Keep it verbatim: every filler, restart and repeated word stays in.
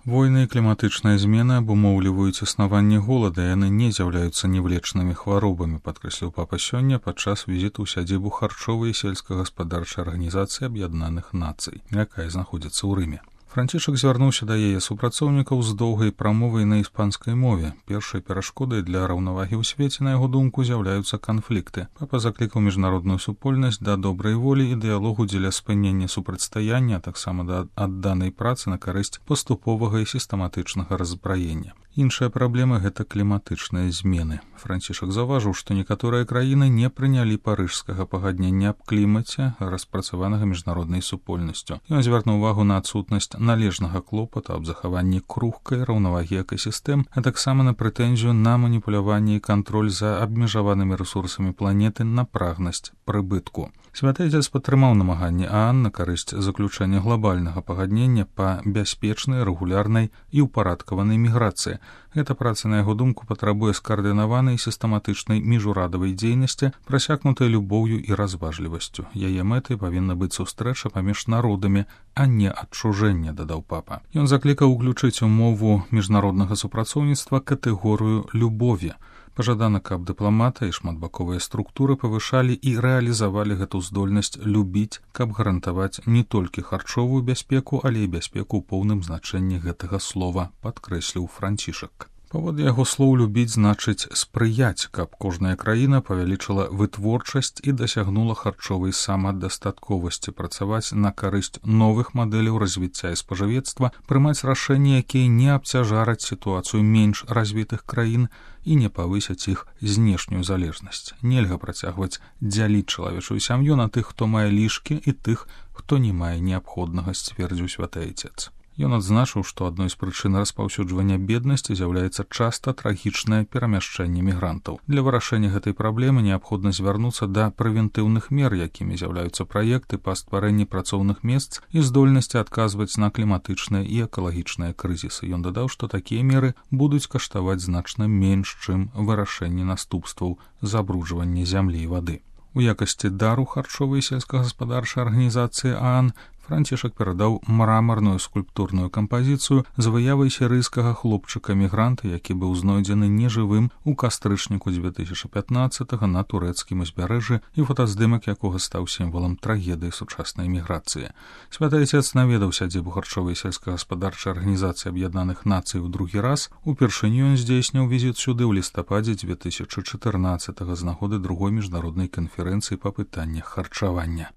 Войны і кліматычныя змены абумоўліваюць існаванне голада, і яны не з'яўляюцца невлечнымі хваробамі, падкрэсліў папа сёння падчас візіту ў сядзібу харчовай і сельскагаспадарчай арганізацыі Аб'яднаных Нацый, якая знаходзіцца ў Рыме. Францішак звярнуўся да яе супрацоўнікаў з доўгай прамовай на іспанскай мове. Першай перашкодай для раўнавагі ў свеце, на яго думку, з'яўляюцца канфлікты. Папа заклікаў міжнародную супольнасць да добрай волі і дыялогу дзеля спынення супрацьстаяння, а таксама да адданай працы на карысць паступовага і сістэматычнага раззбраення. Іншая праблема – гэта кліматычныя змены. Францішак заўважыў, што некаторыя краіны не прынялі парыжскага пагаднення аб клімаце, распрацаванага міжнароднай супольнасцю. Ён звярнуў увагу на адсутнасць належнага клопату аб захаванні крухкай раўнавагі экасістэм, а таксама на прэтэнзію на маніпуляванне і кантроль за абмежаванымі рэсурсамі планеты на прагнасць прыбытку. Святы Отец падтрымаў намаганні ААН на карысць заключэння глобальнага пагаднення па бяспечнай, рэгулярнай і ўпарадкаванай міграцыі. Гэта праца, на яго думку, патрабуе скаардынаванай і сістэматычнай міжурадавай дзейнасці, прасякнутай любоўю і разважлівасцю. Яе мэтай павінна быць сустрэча паміж народамі, а не адчужэнне, дадаў папа. Ён заклікаў уключыць у мову міжнароднага супрацоўніцтва катэгорыю любові. Пажадана, каб дыпламаты і шматбаковыя структуры павышалі і рэалізавалі гэту здольнасць любіць, каб гарантаваць не толькі харчовую бяспеку, але і бяспеку ў поўным значэнні гэтага слова, падкрэсліў Францішак. Паводле яго слоў, любіць значыць спрыяць, каб кожная краіна павялічыла вытворчасць і дасягнула харчовай самадастатковасці, працаваць на карысць новых мадэляў развіцця і спажывецтва, прымаць рашэнні, якія не абцяжараць сітуацыю менш развітых краін і не павысяць іх знешнюю залежнасць. Нельга працягваць дзяліць чалавечую сям'ю на тых, хто мае лішкі, і тых, хто не мае неабходнага, сцвердзіў Святы Отец. Ён адзначыў, што адной з прычын распаўсюджвання беднасці з'яўляецца часта трагічнае перамяшчэнне мігрантаў. Для вырашэння гэтай праблемы неабходна звярнуцца да прэвентыўных мер, якімі з'яўляюцца праекты па стварэнні працоўных месц і здольнасці адказваць на кліматычныя і экалагічныя крызісы. Ён дадаў, што такія меры будуць каштаваць значна менш, чым вырашэнне наступстваў забруджвання зямлі і вады. У якасці дару харчовай і сельскагаспадарчай арганізацыі ААН Францішак перадаў мрамарную скульптурную кампазіцыю з выявай сірыйскага хлопчыка-мігранта, які быў знойдзены нежывым у кастрычніку дзве тысячы пятнаццатага на турэцкім узбярэжжы і фотаздымак якога стаў сімвалам трагедыі сучаснай міграцыі. Святы Отец наведаў сядзібу харчовай і сельскагаспадарчай арганізацыі Аб'яднаных Нацый у другі раз. Упершыню ён здзейсніў візіт сюды ў лістападзе дзве тысячы чатырнаццатага з нагоды другой міжнароднай канферэнцыі па пытаннях харчавання.